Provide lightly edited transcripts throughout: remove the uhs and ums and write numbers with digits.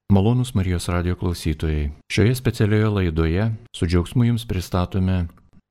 Malonūs Marijos radijo klausytojai, šioje specialioje laidoje su džiaugsmu jums pristatome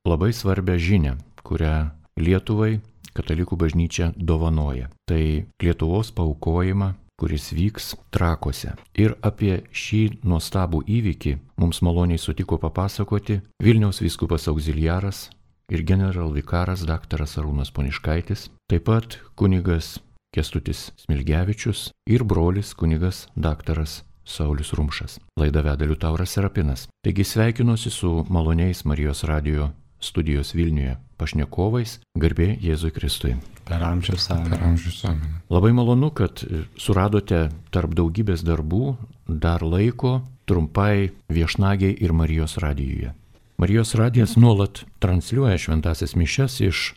labai svarbią žinią, kurią Lietuvai Katalikų bažnyčia dovanoja. Tai Lietuvos paaukojimą, kuris vyks Trakuose. Ir apie šį nuostabų įvykį mums maloniai sutiko papasakoti Vilniaus vyskupas auxiliaras ir generalvikaras daktaras Arūnas Poniškaitis, taip pat kunigas Kęstutis Smilgevičius ir brolis kunigas daktaras Saulius Rumšas. Laidą veda Liutauras Serapinas. Taigi sveikinuosi su maloniais Marijos radijo studijos Vilniuje pašnekovais, garbė Jėzui Kristui. Per amžius amen. Labai malonu, kad suradote tarp daugybės darbų dar laiko trumpai viešnagiai ir Marijos radijuje. Marijos radijas nuolat transliuoja šventąsias mišias iš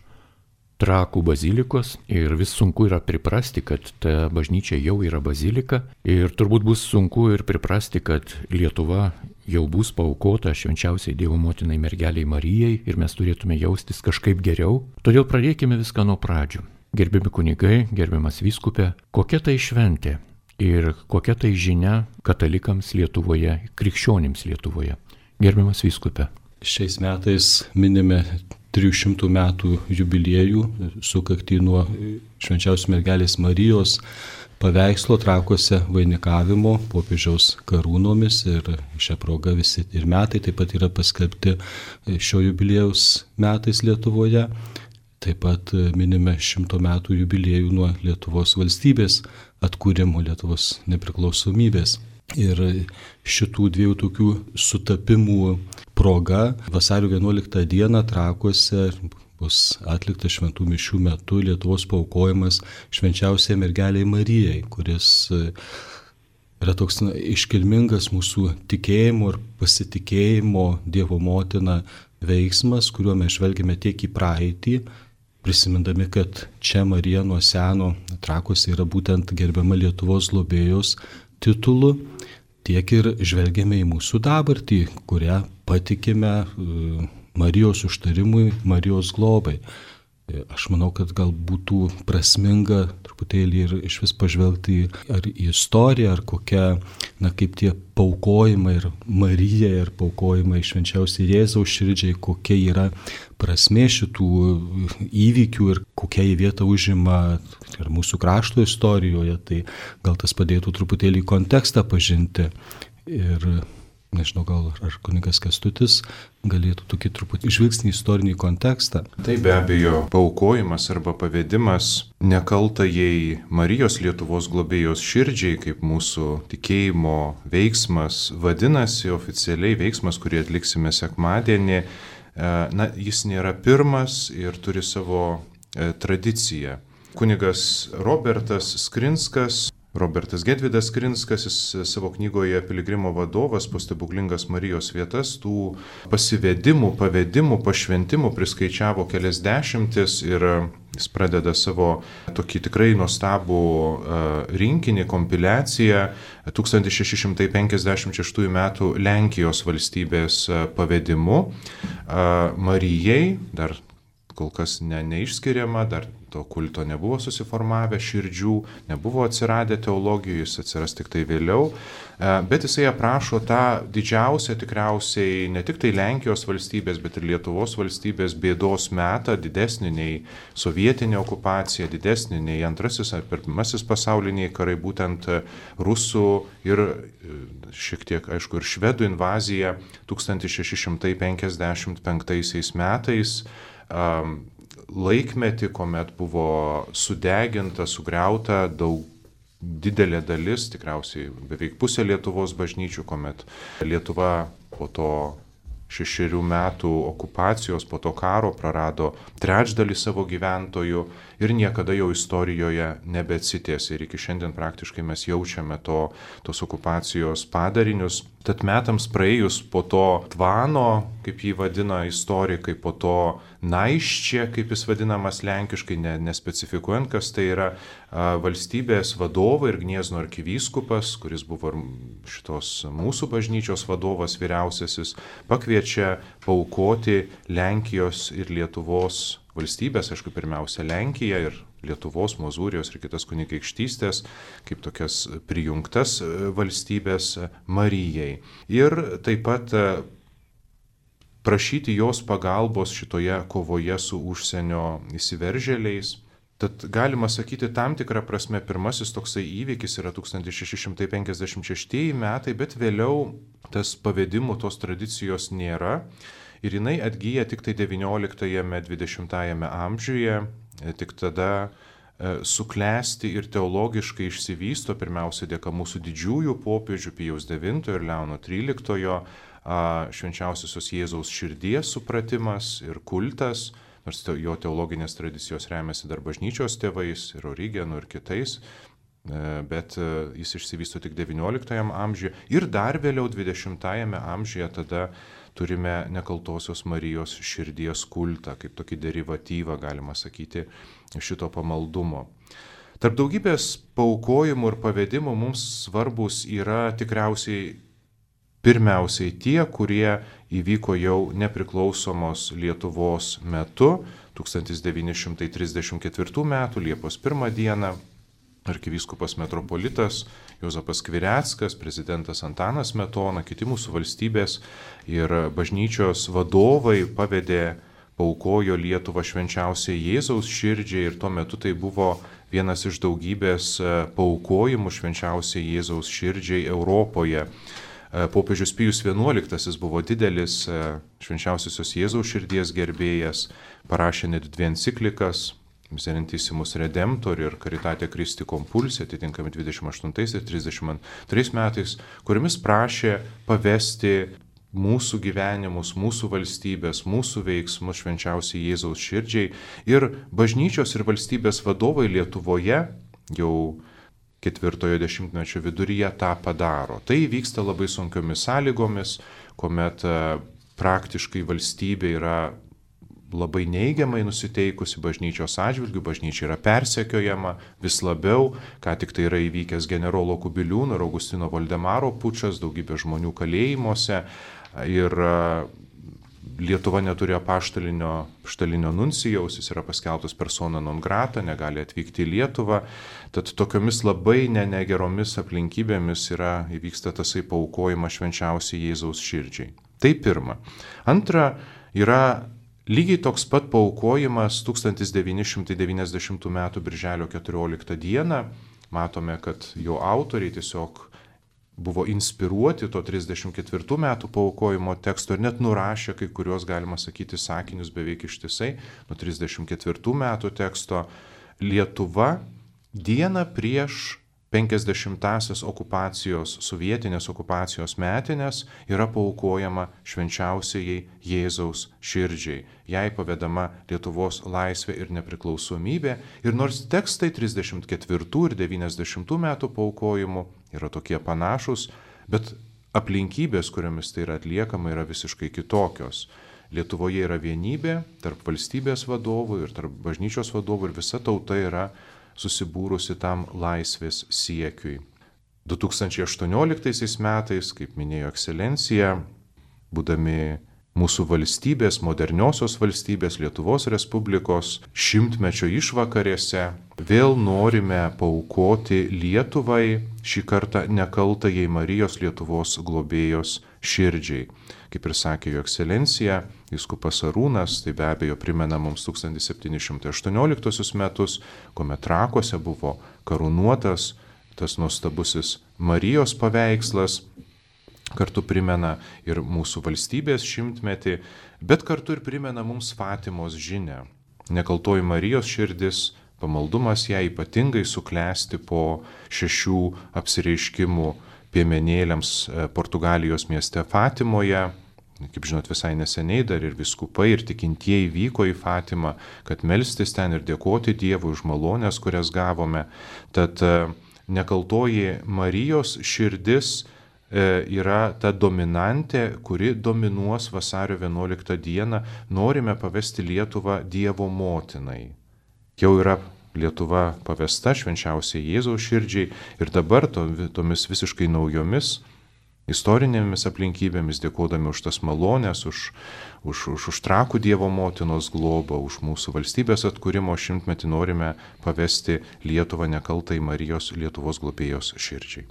Trakų bazilikos ir vis sunku yra priprasti, kad ta bažnyčia jau yra bazilika ir turbūt bus sunku ir priprasti, kad Lietuva jau bus paaukota švenčiausiai Dievo motinai mergeliai Marijai ir mes turėtume jaustis kažkaip geriau. Todėl pradėkime viską nuo pradžių. Gerbiami kunigai, gerbiamas vyskupe, kokia tai šventė ir kokia tai žinia katalikams Lietuvoje, krikščionims Lietuvoje. Gerbiamas vyskupe. Šiais metais minime 300 metų jubiliejų, sukaktį nuo švenčiausios mergelės Marijos paveikslo Trakuose vainikavimo popiežiaus karūnomis ir šią progą visi ir metai taip pat yra paskelbti šio jubiliejaus metais Lietuvoje. Taip pat minime 100 metų jubiliejų nuo Lietuvos valstybės atkūrimo, Lietuvos nepriklausomybės. Ir šitų dviejų tokių sutapimų proga vasario 11 dieną Trakuose bus atliktas šventų mišių metu Lietuvos paaukojimas švenčiausiai mergeliai Marijai, kuris yra toks iškilmingas mūsų tikėjimo ir pasitikėjimo Dievo motina veiksmas, kuriuo mes žvelgiame tiek į praeitį, prisimindami, kad čia Marija nuo seno Trakuose yra būtent gerbiama Lietuvos globėjos titulu, tiek ir žvelgiame į mūsų dabartį, kurią patikime Marijos užtarimui, Marijos globai. Aš manau, kad gal būtų prasminga truputėlį ir iš vis pažvelgti ar į istoriją, ar kokia, kaip tie paaukojimai ir Marija ir paaukojimai švenčiausiai Jėzaus širdžiai, kokia yra prasmė šitų įvykių ir kokia į vietą užima ir mūsų krašto istorijoje, tai gal tas padėtų truputėlį kontekstą pažinti. Ir nežinau, gal ar kunigas Kęstutis galėtų tokį truputį žvilgsnį į istorinį kontekstą. Tai be abejo, paaukojimas arba pavedimas nekaltajai Marijos Lietuvos globėjos širdžiai, kaip mūsų tikėjimo veiksmas vadinasi, oficialiai veiksmas, kurį atliksime sekmadienį, jis nėra pirmas ir turi savo tradiciją. Kunigas Robertas Gedvydas Skrinskas, jis savo knygoje Piligrimo vadovas po stebuklingas Marijos vietas, tų pasivedimų, pavedimų, pašventimų priskaičiavo kelias dešimtis ir jis pradeda savo tokį tikrai nuostabų rinkinį, kompiliaciją 1656 metų Lenkijos valstybės pavedimu Marijai, dar kol kas neišskiriama, dar to kulto nebuvo susiformavę širdžių, nebuvo atsiradę teologijoje, jis atsiras tik tai vėliau, bet jisai aprašo tą didžiausią tikriausiai ne tik tai Lenkijos valstybės, bet ir Lietuvos valstybės bėdos metą, didesnį nei sovietinė okupacija, didesnį nei antrasis ar pirmasis pasauliniai karai, būtent rusų ir šiek tiek, aišku, ir švedų invazija 1655 metais, laikmetį, kuomet buvo sudeginta, sugriauta didelė dalis, tikriausiai beveik pusė Lietuvos bažnyčių, kuomet Lietuva po to 6 metų okupacijos, po to karo prarado trečdalį savo gyventojų ir niekada jau istorijoje nebeatsitiesė. Ir iki šiandien praktiškai mes jaučiame tos okupacijos padarinius. Tad metams praėjus po to tvano, kaip jį vadina istorikai, po to naiščia, kaip jis vadinamas lenkiškai, nespecifikuojant, kas tai yra, valstybės vadovai ir Gniezno arkivyskupas, kuris buvo šitos mūsų bažnyčios vadovas vyriausiasis, pakviečia paaukoti Lenkijos ir Lietuvos valstybės, aišku, pirmiausia Lenkija ir Lietuvos, Mozūrijos ir kitas kunigaikštystės, kaip tokias prijungtas valstybės Marijai. Ir taip pat prašyti jos pagalbos šitoje kovoje su užsienio įsiveržėliais. Tad galima sakyti, tam tikrą prasme pirmasis toksai įvykis yra 1656 metai, bet vėliau tas pavedimų tos tradicijos nėra ir jinai atgyja tik tai XIX-XX amžiuje, tik tada suklesti ir teologiškai išsivysto, pirmiausia dėka mūsų didžiųjų popiežių Pijaus IX ir Leono XIII švenčiausiosios Jėzaus širdies supratimas ir kultas, nors jo teologinės tradicijos remiasi dar bažnyčios tėvais ir Origenu ir kitais, bet jis išsivysto tik XIX amžiuje ir dar vėliau XX amžiuje tada turime Nekaltosios Marijos širdies kultą, kaip tokį derivatyvą, galima sakyti, šito pamaldumo. Tarp daugybės paaukojimų ir pavedimų mums svarbus yra tikriausiai pirmiausiai tie, kurie įvyko jau nepriklausomos Lietuvos metu, 1934 metų Liepos 1 dieną, arkivyskupas metropolitas Juozapas Skvireckas, prezidentas Antanas Smetona, kiti mūsų valstybės ir bažnyčios vadovai pavedė, paaukojo Lietuvą švenčiausiai Jėzaus širdžiai ir tuo metu tai buvo vienas iš daugybės paaukojimų švenčiausiai Jėzaus širdžiai Europoje. Popiežius Pijus XI buvo didelis švenčiausiosios Jėzaus širdies gerbėjas, parašė net 2 enciklikas, Miserentissimus Redemptor ir Caritate Christi Compulsi, atitinkami 28 ir 32 metais, kuriamis prašė pavesti mūsų gyvenimus, mūsų valstybės, mūsų veiksmus švenčiausiai Jėzaus širdžiai. Ir bažnyčios ir valstybės vadovai Lietuvoje jau 4-ojo dešimtmečio viduryje tą padaro. Tai vyksta labai sunkiomis sąlygomis, kuomet praktiškai valstybė yra labai neigiamai nusiteikusi bažnyčios atžvilgių, bažnyčia yra persekiojama vis labiau, ką tik tai yra įvykęs generolo Kubiliūno ir Augustino Voldemaro pučas, daugybė žmonių kalėjimuose ir Lietuva neturi apaštalinio nuncijaus, jis yra paskelbtas persona non grata, negali atvykti į Lietuvą, tad tokiomis labai negeromis aplinkybėmis įvyksta tasai paaukojimas švenčiausiai Jėzaus širdžiai. Tai pirma. Antra, yra lygiai toks pat paaukojimas 1990 m. birželio 14 d. Matome, kad jo autoriai tiesiog buvo inspiruoti to 34 metų paaukojimo teksto ir net nurašė kai kurios, galima sakyti, sakinius beveik ištisai nuo 34 metų teksto. Lietuva dieną prieš 50-asias okupacijos, sovietinės okupacijos metinės yra paaukojama švenčiausiai Jėzaus širdžiai. Jai pavedama Lietuvos laisvė ir nepriklausomybė. Ir nors tekstai 34 ir 90 metų paaukojimų yra tokie panašus, bet aplinkybės, kuriomis tai yra atliekama, yra visiškai kitokios. Lietuvoje yra vienybė tarp valstybės vadovų ir tarp bažnyčios vadovų ir visa tauta yra susibūrusi tam laisvės siekiui. 2018 metais, kaip minėjo ekscelencija, būdami mūsų valstybės, moderniosios valstybės Lietuvos Respublikos 100-mečio išvakarėse, vėl norime paaukoti Lietuvai, šį kartą nekaltajai Marijos Lietuvos globėjos širdžiai. Kaip ir sakė jo ekscelencija, vyskupas Arūnas, tai be abejo primena mums 1718 metus, kuomet Trakuose buvo karūnuotas tas nuostabusis Marijos paveikslas, kartu primena ir mūsų valstybės 100-metį, bet kartu ir primena mums Fatimos žinią. Nekaltoji Marijos širdis, pamaldumas ją ypatingai suklesti po 6 apsireiškimų piemenėliams Portugalijos mieste Fatimoje. Kaip žinot, visai neseniai dar ir vyskupai, ir tikintieji vyko į Fatimą, kad melstis ten ir dėkoti Dievui už malonės, kurias gavome. Tad nekaltoji Marijos širdis yra ta dominantė, kuri dominuos vasario 11 dieną. Norime pavesti Lietuvą Dievo motinai. Jau yra Lietuva pavesta švenčiausiai Jėzaus širdžiai ir dabar tomis visiškai naujomis istorinėmis aplinkybėmis, dėkodami už tas malonės, už Trakų Dievo motinos globą, už mūsų valstybės atkūrimo 100-metį norime pavesti Lietuvą nekaltai Marijos Lietuvos globėjos širdžiai.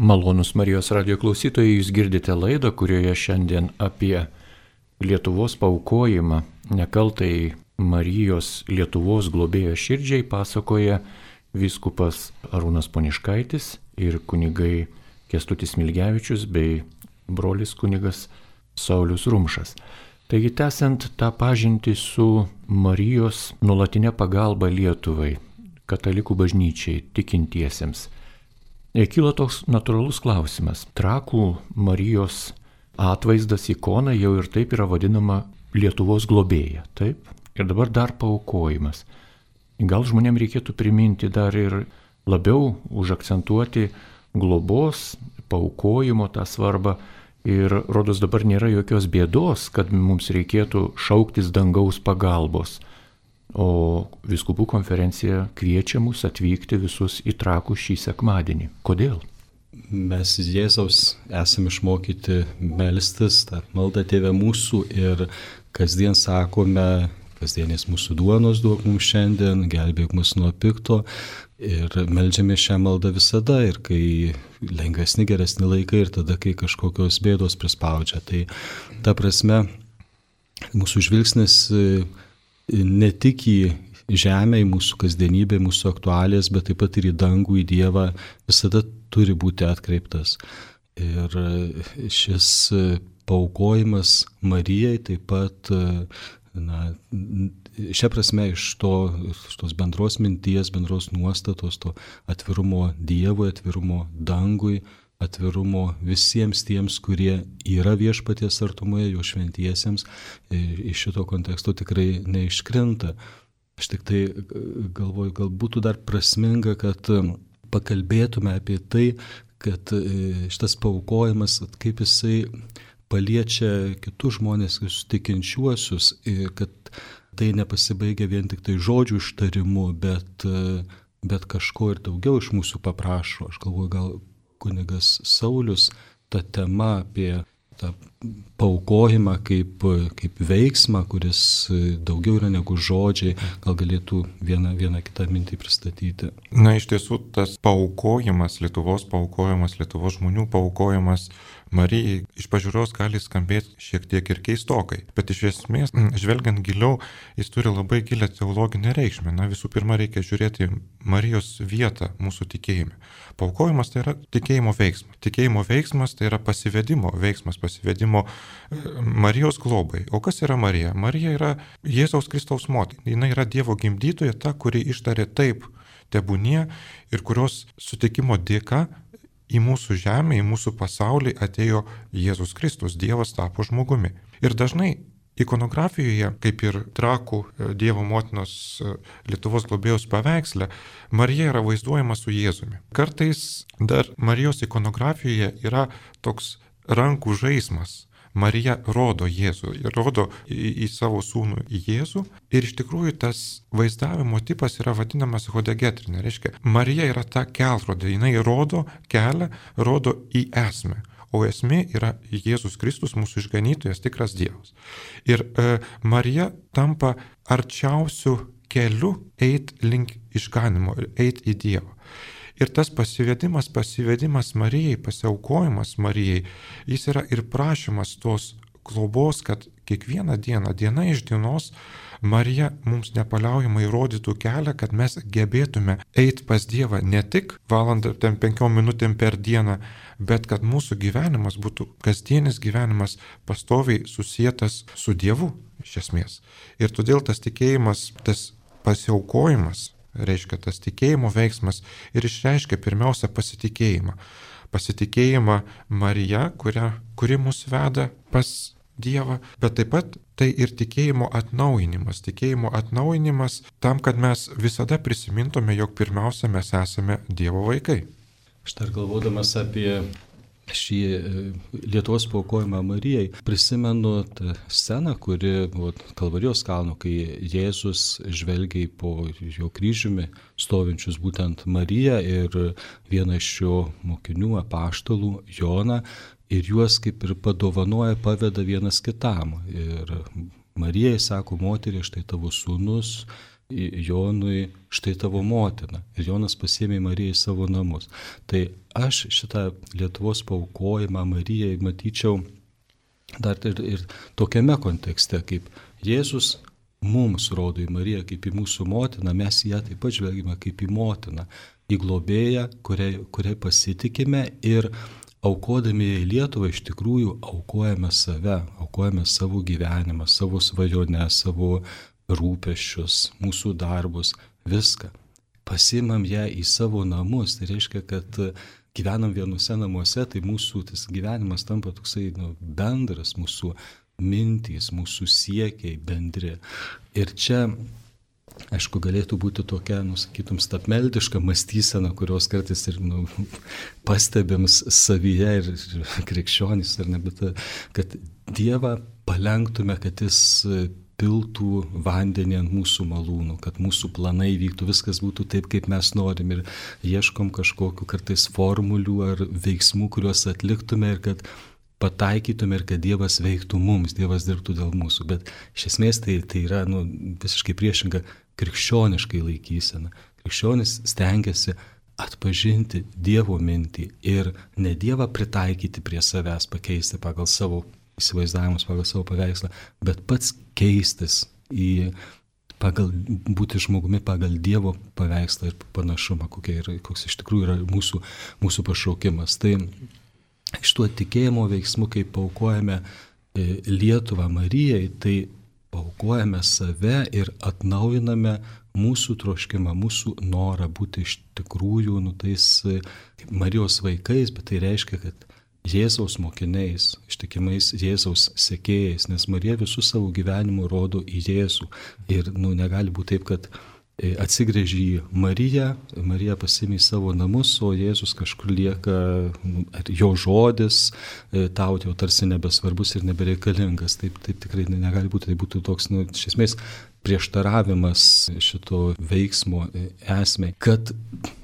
Malonus Marijos radijo klausytojai, jūs girdite laidą, kurioje šiandien apie Lietuvos paaukojimą nekaltai Marijos Lietuvos globėjos širdžiai pasakoja vyskupas Arūnas Poniškaitis ir kunigai Kęstutis Smilgevičius bei brolis kunigas Saulius Rumšas. Taigi, tęsiant tą pažintį su Marijos nuolatinė pagalba Lietuvai, katalikų bažnyčiai, tikintiesiems, kilo toks natūralus klausimas. Trakų Marijos atvaizdas, ikona jau ir taip yra vadinama Lietuvos globėja, taip? Ir dabar dar paaukojimas. Gal žmonėms reikėtų priminti dar ir labiau užakcentuoti globos, paaukojimo tą svarbą ir rodos dabar nėra jokios bėdos, kad mums reikėtų šauktis dangaus pagalbos. O vyskupų konferencija kviečia mus atvykti visus į Trakus šį sekmadienį. Kodėl? Mes Jėzaus esame išmokyti melstis, tą maldą Tėve mūsų ir kasdien sakome, kasdienės mūsų duonos duok mums šiandien, gelbėk mus nuo pikto ir meldžiame šią maldą visada ir kai lengvesni, geresni laikai ir tada, kai kažkokios bėdos prispaudžia. Tai ta prasme, mūsų žvilgsnis ne tik į žemę, į mūsų kasdienybę, mūsų aktualijas, bet taip pat ir į dangų, į Dievą visada turi būti atkreiptas. Ir šis paaukojimas Marijai taip pat, šia prasme iš tos bendros minties, bendros nuostatos, to atvirumo Dievui, atvirumo dangui, atvirumo visiems tiems, kurie yra viešpaties artumoje, jo šventiesiems, iš šito konteksto tikrai neiškrinta. Aš tik tai galvoju, gal būtų dar prasminga, kad pakalbėtume apie tai, kad šitas paaukojimas, kaip jisai paliečia kitus žmonės, kitus tikinčiuosius, ir kad tai nepasibaigia vien tik tai žodžių ištarimu, bet kažko ir daugiau iš mūsų paprašo. Aš galvoju, gal kunigas Saulius tą temą apie tą paaukojimą kaip veiksmą, kuris daugiau yra negu žodžiai, gal galėtų vieną kitą mintį pristatyti. Na, iš tiesų, tas paaukojimas, Lietuvos žmonių paaukojimas Marijai iš pažiūros gali skambėti šiek tiek ir keistokai, bet iš esmės, žvelgiant giliau, jis turi labai gilią teologinę reikšmę. Na, visų pirma, reikia žiūrėti Marijos vietą mūsų tikėjime. Paaukojimas tai yra tikėjimo veiksmas. Tikėjimo veiksmas tai yra pasivedimo veiksmas, pasivedimo Marijos globai. O kas yra Marija? Marija yra Jėzaus Kristaus motina. Jis yra Dievo gimdytoja, ta, kuri ištarė taip tebūnie ir kurios sutikimo dėka į mūsų žemę, į mūsų pasaulį atėjo Jėzus Kristus, Dievas tapo žmogumi. Ir dažnai ikonografijoje, kaip ir Trakų Dievo motinos Lietuvos globėjos paveiksle, Marija yra vaizduojama su Jėzumi. Kartais dar Marijos ikonografijoje yra toks rankų žaismas. Marija rodo Jėzų, rodo į savo sūnų Jėzų ir iš tikrųjų tas vaizdavimo tipas yra vadinamas hodegetrinė. Reiškia, Marija yra ta kelrodė, jinai rodo kelią, rodo į esmę, o esmė yra Jėzus Kristus, mūsų išganytojas, tikras Dievas. Ir Marija tampa arčiausių kelių eit link išganimo, eit į Dievą. Ir tas pasivedimas Marijai, pasiaukojimas Marijai, jis yra ir prašymas tos globos, kad kiekvieną dieną, diena iš dienos, Marija mums nepaliaujamai rodytų kelią, kad mes gebėtume eiti pas Dievą ne tik valandą, 5 minutėm per dieną, bet kad mūsų gyvenimas būtų kasdienis gyvenimas pastoviai susietas su Dievu, iš esmės. Ir todėl tas tikėjimas, tas pasiaukojimas, reiškia tas tikėjimo veiksmas ir išreiškia pirmiausia pasitikėjimą. Pasitikėjimą Marija, kuri mus veda pas Dievą, bet taip pat tai ir tikėjimo atnaujinimas. Tikėjimo atnaujinimas tam, kad mes visada prisimintume, jog pirmiausia mes esame Dievo vaikai. Aš dar galvodamas apie šį Lietuvos paaukojimą Marijai, prisimenu tą sceną, kuri buvo Kalvarijos kalno, kai Jėzus žvelgia po jo kryžiumi stovinčius būtent Mariją ir vieną iš jo mokinių apaštalų Joną, ir juos kaip ir padovanoja, paveda vienas kitam. Ir Marijai sako, moterie, štai tavo sūnus, Jonui, štai tavo motina. Ir Jonas pasiėmė Mariją į savo namus. Tai aš šitą Lietuvos paaukojimą Marijai matyčiau dar ir tokiame kontekste, kaip Jėzus mums rodo į Mariją kaip į mūsų motiną, mes ją taip pat žvelgime kaip į motiną, į globėją, kuriai pasitikime, ir aukodami į Lietuvą iš tikrųjų aukojame save, aukojame savo gyvenimą, savo svajonę, savo rūpesčius, mūsų darbus, viską. Pasimam ją į savo namus, tai reiškia, kad gyvenam vienuose namuose, tai mūsų tas gyvenimas tampa toksai bendras, mūsų mintys, mūsų siekiai bendri. Ir čia, aišku, galėtų būti tokia, sakytum, stabmeldiška mąstysena, kurios kartais ir pastebim savyje ir krikščionys, ar ne, bet kad Dievą palenktume, kad jis piltų vandenį ant mūsų malūnų, kad mūsų planai vyktų, viskas būtų taip, kaip mes norim, ir ieškom kažkokiu kartais formulių ar veiksmų, kuriuos atliktume ir kad pataikytume ir kad Dievas veiktų mums, Dievas dirbtų dėl mūsų. Bet iš esmės tai yra visiškai priešinga krikščioniškai laikysena. Krikščionis stengiasi atpažinti Dievo mintį ir ne Dievą pritaikyti prie savęs, pakeisti pagal savo įsivaizdavimus, pagal savo paveikslą, bet pats keistis būti žmogumi pagal Dievo paveikslą ir panašumą, koks iš tikrųjų yra mūsų pašaukimas. Tai iš tuo tikėjimo veiksmu, kai paaukojame Lietuvą Marijai, tai paaukojame save ir atnaujiname mūsų troškimą, mūsų norą būti iš tikrųjų tais Marijos vaikais, bet tai reiškia, kad Jėzaus mokiniais, ištikimais Jėzaus sekėjais, nes Marija visų savo gyvenimų rodo į Jėzų. Ir negali būti taip, kad atsigręži į Mariją, Marija pasiėmė į savo namus, o Jėzus kažkur lieka, jo žodis tau jau tarsi nebesvarbus ir nebereikalingas. Taip tikrai negali būti, tai būtų toks, iš esmės, prieštaravimas šito veiksmo esmei. Kad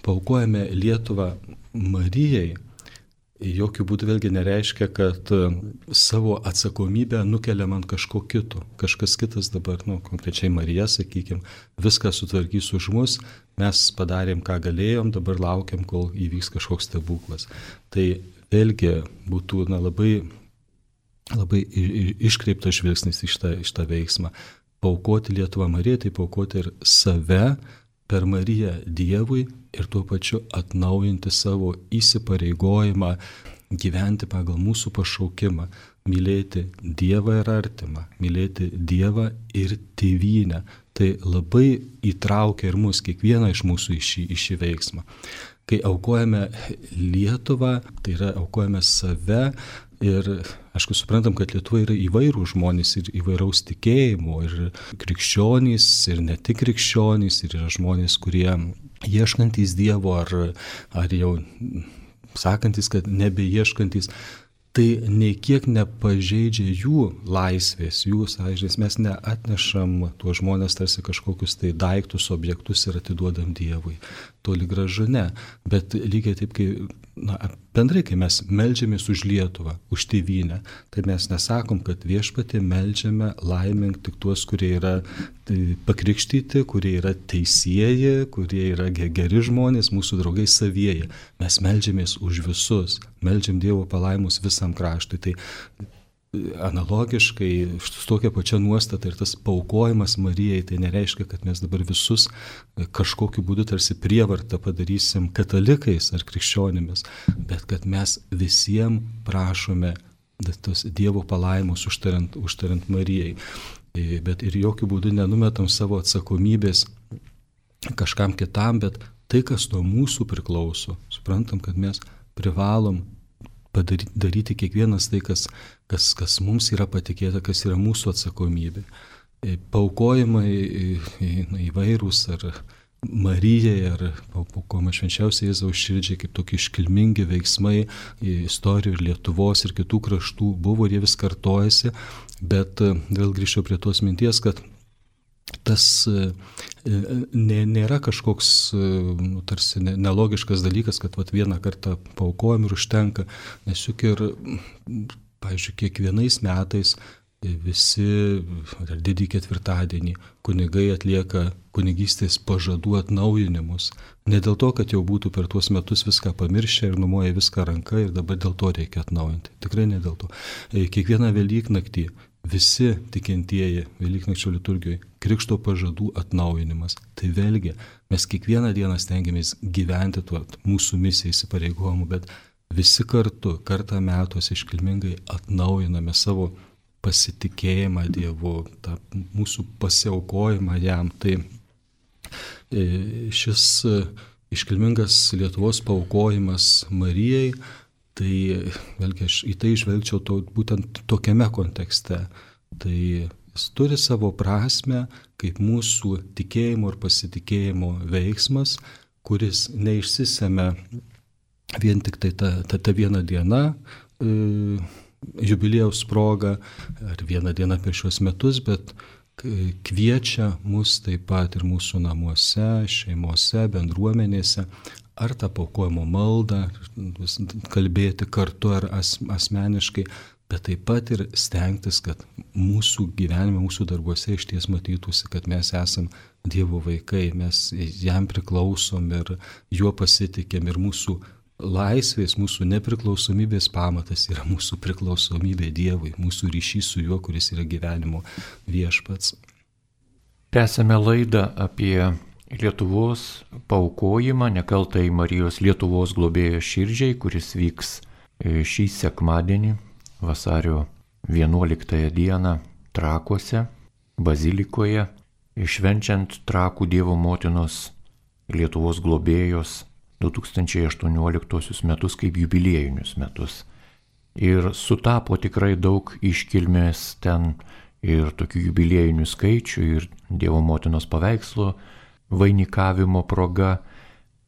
paaukojame Lietuvą Marijai, jokių būdų vėlgi nereiškia, kad savo atsakomybę nukeliam ant kažko kito. Kažkas kitas dabar, konkrečiai Marija, sakykime, viską sutvarkys už mus, mes padarėm, ką galėjom, dabar laukiam, kol įvyks kažkoks stebuklas. Tai vėlgi būtų labai, labai iškreiptas žvilgsnis į šitą veiksmą. Paaukoti Lietuvą Marijai, tai paaukoti ir save per Mariją Dievui ir tuo pačiu atnaujinti savo įsipareigojimą gyventi pagal mūsų pašaukimą, mylėti Dievą ir artimą, mylėti Dievą ir tėvynę. Tai labai įtraukia ir mus, kiekvieną iš mūsų į šį veiksmą. Kai aukojame Lietuvą, tai yra aukojame save. Ir, aišku, suprantam, kad Lietuva yra įvairių žmonės ir įvairaus tikėjimo, ir krikščionys, ir ne tik krikščionys, ir yra žmonės, kurie ieškantys Dievo, ar jau sakantis, kad nebeieškantys. Tai nei kiek nepažeidžia jų laisvės, jų sąžinės. Mes neatnešam tuos žmonės tarsi kažkokius tai daiktus, objektus ir atiduodam Dievui. Toli gražu ne. Bet lygiai taip, bendrai, kai mes meldžiamės už Lietuvą, už tėvynę, tai mes nesakom, kad viešpatie meldžiame laimink tik tuos, kurie yra pakrikštyti, kurie yra teisieji, kurie yra geri žmonės, mūsų draugai savieji. Mes meldžiamės už visus, meldžiam Dievo palaimus visam kraštui. Tai analogiškai, su tokia pačia nuostata ir tas paaukojimas Marijai, tai nereiškia, kad mes dabar visus kažkokiu būdu tarsi prievartą padarysim katalikais ar krikščionimis, bet kad mes visiems prašome tos Dievo palaimus užtariant Marijai. Bet ir jokių būdų nenumetam savo atsakomybės kažkam kitam, bet tai, kas nuo mūsų priklauso, suprantam, kad mes privalom daryti kiekvienas tai, kas mums yra patikėta, kas yra mūsų atsakomybė. Paaukojimai įvairūs, ar Marijai ar paaukojama švenčiausiai Jėzaus širdžiai kaip tokie iškilmingi veiksmai istorijų ir Lietuvos ir kitų kraštų buvo ir jie vis kartojasi, bet vėl grįžčiau prie tos minties, kad tas nėra kažkoks tarsi nelogiškas dalykas, kad vieną kartą paaukojam ir užtenka, nes juk ir, pavyzdžiui, kiekvienais metais visi didįjį ketvirtadienį kunigai atlieka kunigystės pažadų atnaujinimus. Ne dėl to, kad jau būtų per tuos metus viską pamiršę ir numoja viską ranka ir dabar dėl to reikia atnaujinti. Tikrai ne dėl to. Kiekvieną Velyknaktį visi tikintieji Velyknakčio liturgijoje krikšto pažadų atnaujinimas. Tai vėlgi mes kiekvieną dieną stengiamės gyventi tuo mūsų misiją įsipareigojimu, bet visi kartą metuose iškilmingai atnaujiname savo pasitikėjimą Dievu, tą mūsų pasiaukojimą jam. Tai šis iškilmingas Lietuvos paaukojimas Marijai, tai vėlgi aš į tai žvelgčiau būtent tokiame kontekste. Tai jis turi savo prasme kaip mūsų tikėjimo ir pasitikėjimo veiksmas, kuris neišsisemia vien tik tai ta viena diena, jubiliejaus proga ar vieną dieną per šios metus, bet kviečia mus taip pat ir mūsų namuose, šeimose, bendruomenėse, ar tą paaukojimo maldą kalbėti kartu ar asmeniškai, bet taip pat ir stengtis, kad mūsų gyvenime, mūsų darbuose išties matytųsi, kad mes esam Dievo vaikai, mes jam priklausom ir juo pasitikėm ir mūsų laisvės, mūsų nepriklausomybės pamatas yra mūsų priklausomybė Dievui, mūsų ryšys su juo, kuris yra gyvenimo viešpats. Tęsėme laidą apie Lietuvos paaukojimą nekaltai Marijos Lietuvos globėjos širdžiai, kuris vyks šį sekmadienį, vasario 11 dieną Trakuose, bazilikoje, švenčiant Trakų Dievo motinos Lietuvos globėjos 2018 metus kaip jubiliejinius metus. Ir sutapo tikrai daug iškilmės ten ir tokių jubiliejinių skaičių, ir Dievo motinos paveikslo vainikavimo proga,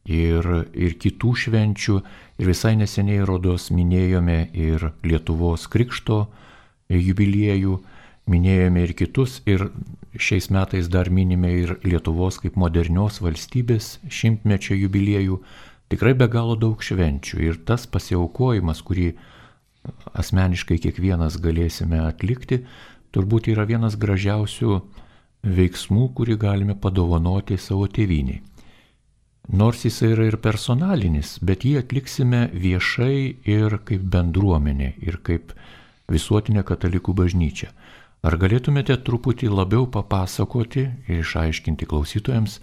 ir kitų švenčių. Ir visai neseniai rodos minėjome ir Lietuvos krikšto jubiliejų, minėjome ir kitus, ir šiais metais dar minime ir Lietuvos kaip modernios valstybės 100-mečio jubiliejų. Tikrai be galo daug švenčių, ir tas pasiaukojimas, kurį asmeniškai kiekvienas galėsime atlikti, turbūt yra vienas gražiausių veiksmų, kurį galime padovanoti savo tėvynei. Nors jis yra ir personalinis, bet jį atliksime viešai ir kaip bendruomenė, ir kaip visuotinė katalikų bažnyčia. Ar galėtumėte truputį labiau papasakoti ir išaiškinti klausytojams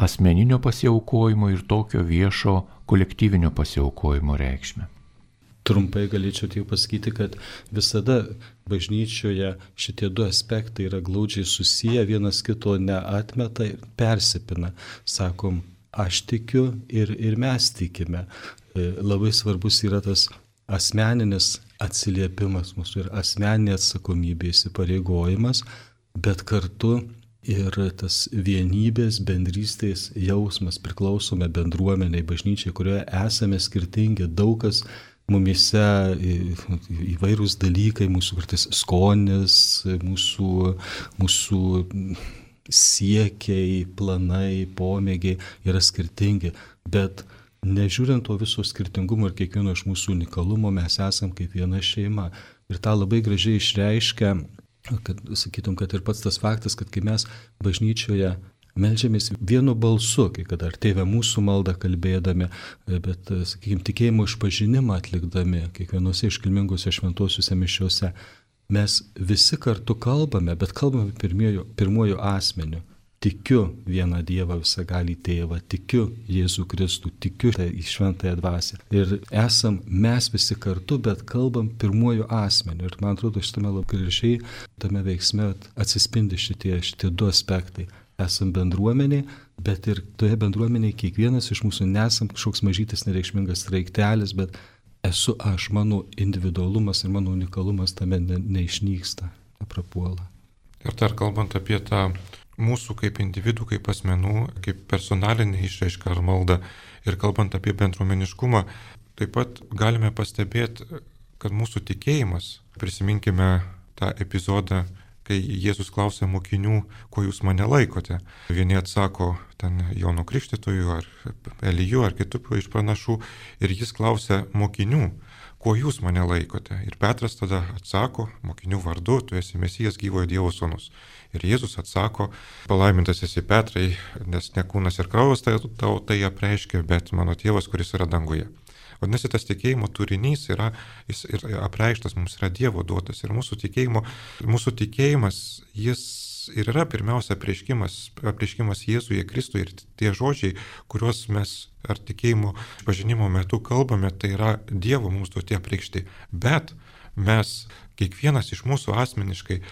asmeninio pasiaukojimo ir tokio viešo kolektyvinio pasiaukojimo reikšmę? Trumpai galėčiau tik pasakyti, kad visada bažnyčioje šitie du aspektai yra glaudžiai susiję, vienas kito neatmeta ir persipina. Sakom, aš tikiu ir mes tikime. Labai svarbus yra tas asmeninis atsiliepimas mūsų ir asmeninė atsakomybė, įsipareigojimas, bet kartu ir tas vienybės, bendrystės jausmas, priklausome bendruomeniai, bažnyčiai, kurioje esame skirtingi, daug kas mumise įvairūs dalykai, mūsų kartais skonis, mūsų siekiai, planai, pomėgiai yra skirtingi, bet nežiūrint to viso skirtingumo ir kiekvieno iš mūsų unikalumo, mes esam kaip viena šeima. Ir tą labai gražiai išreiškia, kad sakytum, kad ir pats tas faktas, kad kai mes bažnyčioje meldžiamės vienu balsu, kai kada ar Tėve mūsų maldą kalbėdami, bet, sakykime, tikėjimo išpažinimą atlikdami kiekvienose iškilmingose šventosiuose mišiuose, mes visi kartu kalbame, bet kalbame pirmuoju asmeniu. Tikiu vieną Dievą visagalį Tėvą, tikiu Jėzų Kristų, tikiu į šventąją dvasią. Ir esam mes visi kartu, bet kalbam pirmuoju asmeniu. Ir man atrodo, šitame labai gražiai tame veiksme atsispindi šitie du aspektai. Esam bendruomeniai, bet ir toje bendruomenėje kiekvienas iš mūsų nesam kažkoks mažytis nereikšmingas straiktelis, bet esu aš, mano individualumas ir mano unikalumas tame neišnyksta, neprapuola. Ir dar kalbant apie tą mūsų kaip individų, kaip asmenų, kaip personalinė išraiška ar malda. Ir kalbant apie bendruomeniškumą, taip pat galime pastebėti, kad mūsų tikėjimas, prisiminkime tą epizodą, kai Jėzus klausė mokinių, ko jūs mane laikote. Vieni atsako ten Jono Krikštytoju ar Eliju ar kitų iš pranašų ir jis klausė mokinių, ko jūs mane laikote. Ir Petras tada atsako mokinių vardu, tu esi Mesijas, gyvojo Dievo sūnus. Ir Jėzus atsako, palaimintas esi Petrai, nes ne kūnas ir kraujas tau tai apreiškia, bet mano tėvas, kuris yra danguje. Vadinasi, tas tikėjimo turinys jis apreikštas mums yra Dievo duotas. Ir mūsų tikėjimas, jis ir yra pirmiausia apreiškimas Jėzuje Kristuje. Ir tie žodžiai, kuriuos mes ar tikėjimo pažinimo metu kalbame, tai yra Dievo mums duoti apreikšti. Bet mes, kiekvienas iš mūsų asmeniškai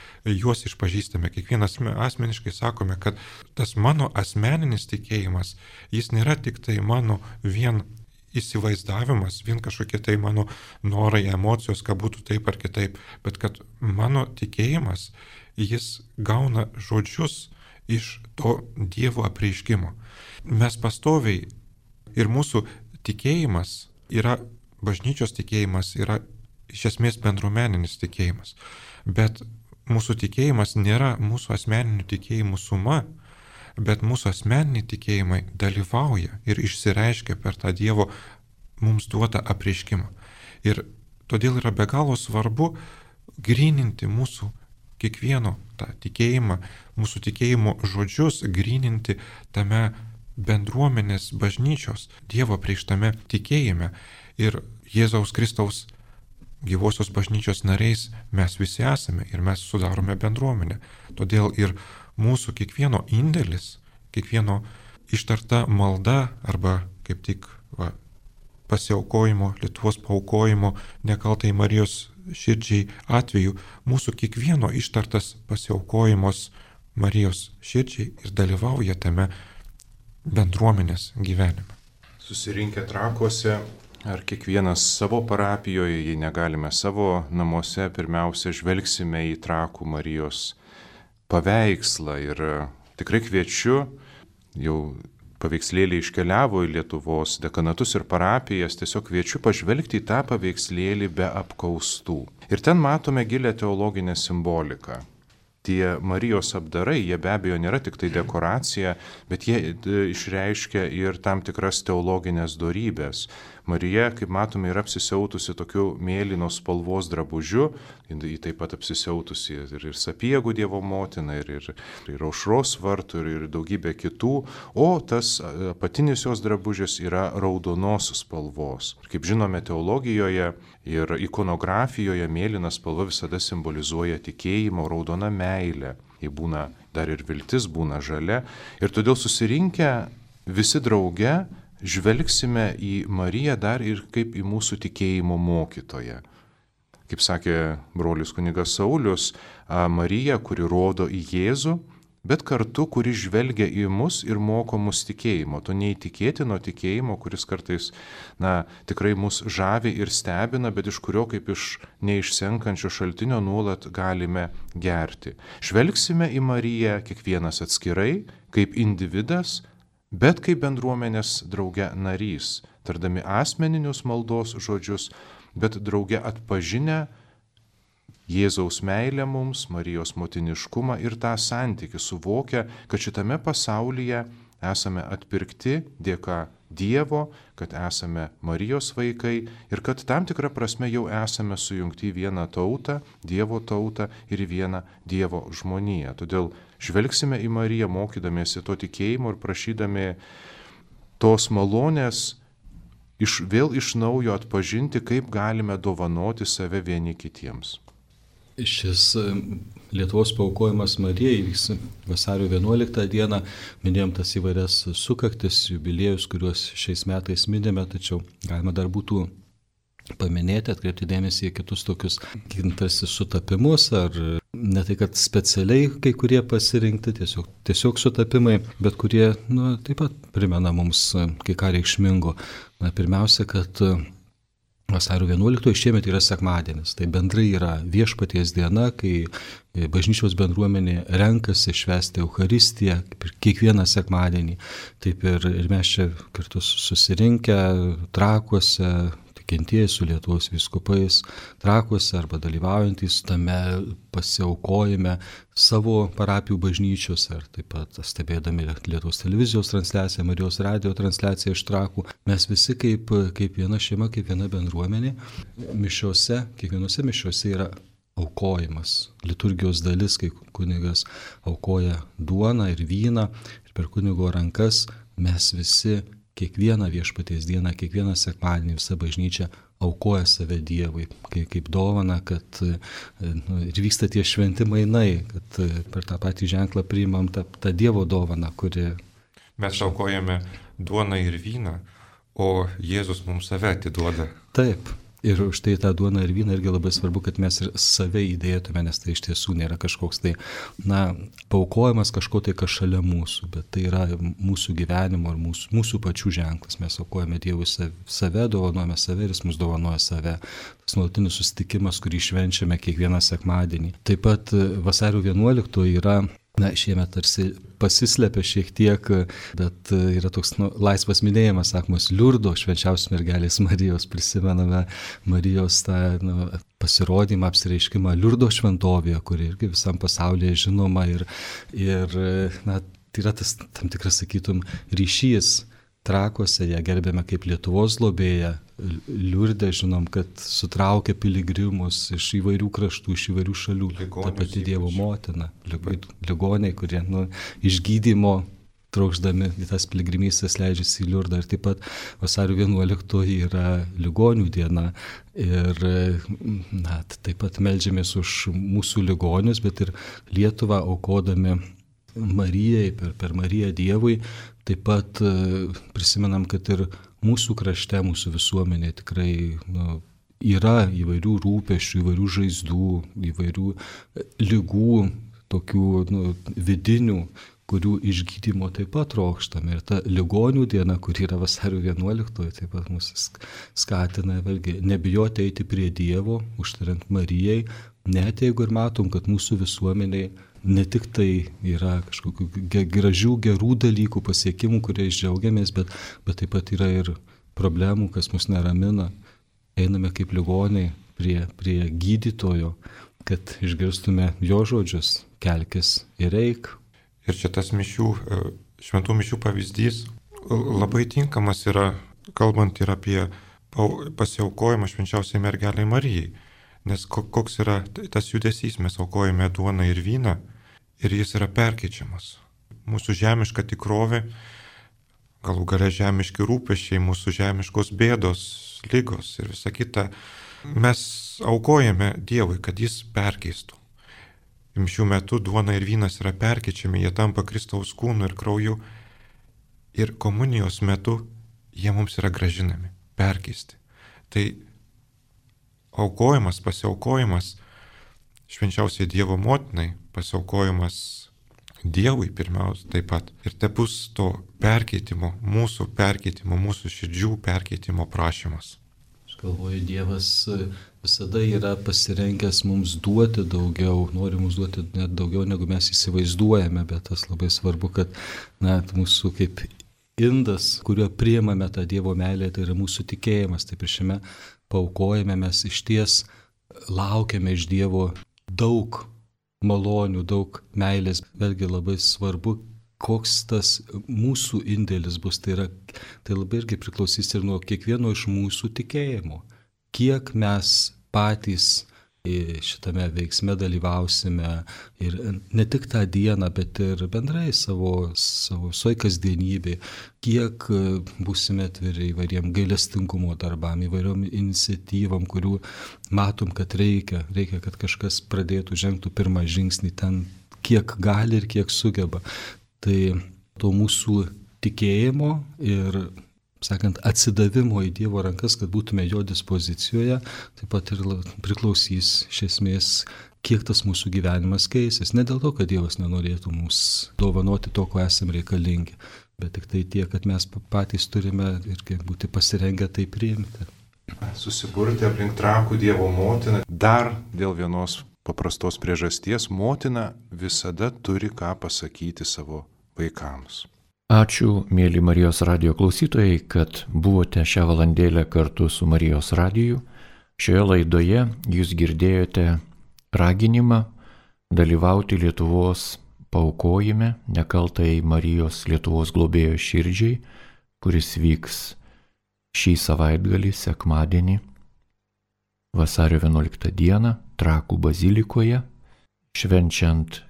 juos išpažįstame, kiekvienas asmeniškai sakome, kad tas mano asmeninis tikėjimas, jis nėra tik tai mano vien įsivaizdavimas, vien kažkokie tai mano norai, emocijos, kad būtų taip ar kitaip, bet kad mano tikėjimas, jis gauna žodžius iš to Dievo apreiškimo. Mes pastoviai ir mūsų tikėjimas yra, bažnyčios tikėjimas yra iš esmės bendruomeninis tikėjimas, bet mūsų tikėjimas nėra mūsų asmeninių tikėjimų suma, bet mūsų asmeniniai tikėjimai dalyvauja ir išsireiškia per tą Dievo mums duotą apreiškimą. Ir todėl yra be galo svarbu gryninti mūsų kiekvieno tą tikėjimą, mūsų tikėjimo žodžius, gryninti tame bendruomenės bažnyčios Dievo apreikštame tikėjime. Ir Jėzaus Kristaus gyvosios bažnyčios nariais mes visi esame ir mes sudarome bendruomenę. Todėl ir mūsų kiekvieno indėlis, kiekvieno ištarta malda arba kaip tik pasiaukojimo, Lietuvos paaukojimo nekaltai Marijos širdžiai atveju, mūsų kiekvieno ištartas pasiaukojimas Marijos širdžiai ir dalyvauja tame bendruomenės gyvenime. Susirinkę Trakuose ar kiekvienas savo parapijoje, jei negalime savo namuose, pirmiausia žvelgsime į Trakų Marijos paveikslą ir tikrai kviečiu, jau paveikslėlį iškeliavo į Lietuvos dekanatus ir parapijas, tiesiog kviečiu pažvelgti į tą paveikslėlį be apkaustų. Ir ten matome gilę teologinę simboliką. Tie Marijos apdarai, jie be abejo nėra tik tai dekoracija, bet jie išreiškia ir tam tikras teologinės dorybės. Marija, kaip matome, yra apsisiautusi tokiu mėlynos spalvos drabužiu, ji taip pat apsisiautusi ir Sapiegų Dievo motina, ir Aušros vartų, ir daugybė kitų, o tas apatinis jos drabužis yra raudonos spalvos. Kaip žinome, teologijoje ir ikonografijoje mėlyna spalva visada simbolizuoja tikėjimo, raudona meilė. Ji būna dar ir viltis, būna žalia. Ir todėl susirinkę visi drauge žvelgsime į Mariją dar ir kaip į mūsų tikėjimo mokytoją. Kaip sakė brolis kunigas Saulius, Marija, kuri rodo į Jėzų, bet kartu, kuri žvelgia į mus ir moko mus tikėjimo. To neįtikėtino tikėjimo, kuris kartais, tikrai mus žavi ir stebina, bet iš kurio kaip iš neišsenkančio šaltinio nuolat galime gerti. Žvelgsime į Mariją kiekvienas atskirai, kaip individas, bet kaip bendruomenės drauge narys, tardami asmeninius maldos žodžius, bet drauge atpažinę Jėzaus meilę mums, Marijos motiniškumą ir tą santykį suvokia, kad šitame pasaulyje esame atpirkti dėka Dievo, kad esame Marijos vaikai ir kad tam tikrą prasme jau esame sujungti į vieną tautą, Dievo tautą ir į vieną Dievo žmoniją. Todėl žvelgsime į Mariją, mokydamiesi to tikėjimo ir prašydami tos malonės vėl iš naujo atpažinti, kaip galime dovanoti save vieni kitiems. Šis Lietuvos paaukojimas Marijai vyks vasario 11 dieną. Minėjom tas įvairias sukaktis, jubiliejus, kuriuos šiais metais minime, tačiau galima dar būtų paminėti, atkreipti dėmesį į kitus tokius tarsi sutapimus, ar ne tai, kad specialiai kai kurie pasirinkti, tiesiog sutapimai, bet kurie taip pat primena mums kai ką reikšmingo. Pirmiausia, kad Vasario 11 šiemet yra sekmadienis, tai bendrai yra Viešpaties diena, kai bažnyčios bendruomenė renkasi švęsti Eucharistiją, kaip ir kiekvieną sekmadienį. Taip ir mes čia kartu susirinkę Trakuose, tikintieji su Lietuvos vyskupais Trakuose arba dalyvaujantys tame pasiaukojime savo parapijų bažnyčiose ir taip pat stebėdami Lietuvos televizijos transliaciją, Marijos radijo transliaciją iš Trakų, mes visi kaip viena šeima, kaip viena bendruomenė, kiekvienose mišiose yra aukojimas, liturgijos dalis, kai kunigas aukoja duoną ir vyną ir per kunigo rankas mes visi kiekvieną Viešpaties dieną, kiekvieną sekmadienį visa bažnyčia aukoja save Dievui, kaip dovana, kad ir vyksta tie šventi mainai, kad per tą patį ženklą priimam tą Dievo dovaną, kuri... Mes aukojame duoną ir vyną, o Jėzus mums save atiduoda. Taip. Ir už tai tą duoną ir vyną irgi labai svarbu, kad mes ir save įdėtume, nes tai iš tiesų nėra kažkoks tai, paaukojimas kažko tai, kas šalia mūsų, bet tai yra mūsų gyvenimo ir mūsų pačių ženklas. Mes aukojame Dievui save, dovanojame save ir Jis mums dovanoja save. Tas nuolatinis susitikimas, kurį švenčiame kiekvieną sekmadienį. Taip pat vasario 11 yra... šiemet tarsi pasislepia šiek tiek, bet yra toks laisvas minėjimas, sakomas, Liurdo švenčiausios mergelės Marijos, prisimename Marijos tą pasirodymą, apsireiškimą Liurdo šventovėje, kuri irgi visam pasaulyje žinoma ir tai yra tas tam tikras, sakytum, ryšys. Trakuose ją gerbėme kaip Lietuvos globėją, Liurde žinom, kad sutraukia piligrimus iš įvairių kraštų, iš įvairių šalių. Ta pati Dievo motina, ligoniai, kurie iš gydymo trokšdami į tas piligrimystės leidžiasi į Liurdą. Ir taip pat vasario 11 yra ligonių diena ir taip pat meldžiamės už mūsų ligonius, bet ir Lietuvą aukodami Marijai, per Mariją Dievui. Taip pat prisimenam, kad ir mūsų krašte, mūsų visuomenė tikrai yra įvairių rūpesčių, įvairių žaizdų, įvairių lygų, tokių vidinių, kurių išgydymo taip pat trokštame. Ir ta ligonių diena, kuri yra vasario 11, taip pat mus skatina vėlgi nebijoti eiti prie Dievo, užtariant Marijai, net jeigu ir matom, kad mūsų visuomeniai ne tik tai yra kažkokių gražių, gerų dalykų, pasiekimų, kuriais džiaugiamės, bet taip pat yra ir problemų, kas mus neramina. Einame kaip ligoniai prie gydytojo, kad išgirstume jo žodžius, kelkis ir eik. Ir čia tas šventų mišių pavyzdys labai tinkamas yra, kalbant ir apie pasiaukojimą švenčiausiai mergelei Marijai. Nes koks yra tas judesys, mes aukojame duoną ir vyną ir jis yra perkeičiamas. Mūsų žemiška tikrovė, galų gale žemiški rūpesčiai, mūsų žemiškos bėdos, lygos ir visa kita, mes aukojame Dievui, kad jis perkeistų. Mišių metu duona ir vynas yra perkeičiami, jie tampa Kristaus kūnu ir krauju ir komunijos metu jie mums yra gražinami, perkeisti. Tai aukojimas, pasiaukojimas švenčiausiai Dievo motinai, pasiaukojimas Dievui pirmiausia taip pat. Ir te bus to perkeitimo, mūsų širdžių perkeitimo prašymas. Aš galvoju, Dievas visada yra pasirengęs mums duoti daugiau, nori mums duoti net daugiau, negu mes įsivaizduojame, bet tas labai svarbu, kad mūsų kaip indas, kuriuo priimame tą Dievo meilę, tai yra mūsų tikėjimas. Taip ir šiame paaukojame mes išties laukiame iš Dievo daug malonių, daug meilės. Vėlgi labai svarbu, koks tas mūsų indėlis bus. Tai labai irgi priklausys ir nuo kiekvieno iš mūsų tikėjimo. Kiek mes patys šitame veiksme dalyvausime ir ne tik tą dieną, bet ir bendrai savo kasdienybė, kiek būsime atviri įvairiem gailestingumo darbam, įvairiom iniciatyvom, kurių matom, kad reikia, kad kažkas pradėtų, žengtų pirmą žingsnį ten, kiek gali ir kiek sugeba. Tai to mūsų tikėjimo ir atsidavimo į Dievo rankas, kad būtume jo dispozicijoje, taip pat ir priklausys iš esmės, kiek tas mūsų gyvenimas keisis. Ne dėl to, kad Dievas nenorėtų mums dovanoti to, ko esame reikalingi, bet tik tai tiek, kad mes patys turime irgi būti pasirengę tai priimti. susiburti aplink Trakų Dievo motiną. Dar dėl vienos paprastos priežasties motina visada turi ką pasakyti savo vaikams. Ačiū, mėly Marijos radijo klausytojai, kad buvote šią valandėlę kartu su Marijos radiju. Šioje laidoje jūs girdėjote raginimą dalyvauti Lietuvos paaukojime nekaltai Marijos Lietuvos globėjo širdžiai, kuris vyks šį savaitgalį, sekmadienį, vasario 11 dieną, Trakų bazilikoje, švenčiant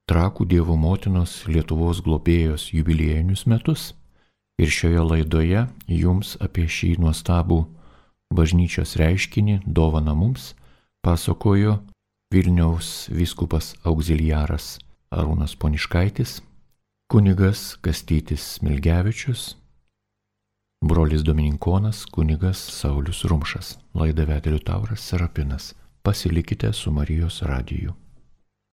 Trakų Dievo motinos Lietuvos globėjos jubiliejinius metus. Ir šioje laidoje jums apie šį nuostabų bažnyčios reiškinį, dovaną mums, pasakojo Vilniaus vyskupas auxiliaras Arūnas Poniškaitis, kunigas Kastytis Smilgevičius, brolis dominikonas kunigas Saulius Rumšas. Laidą vedė Liutauras Serapinas. Pasilikite su Marijos radiju.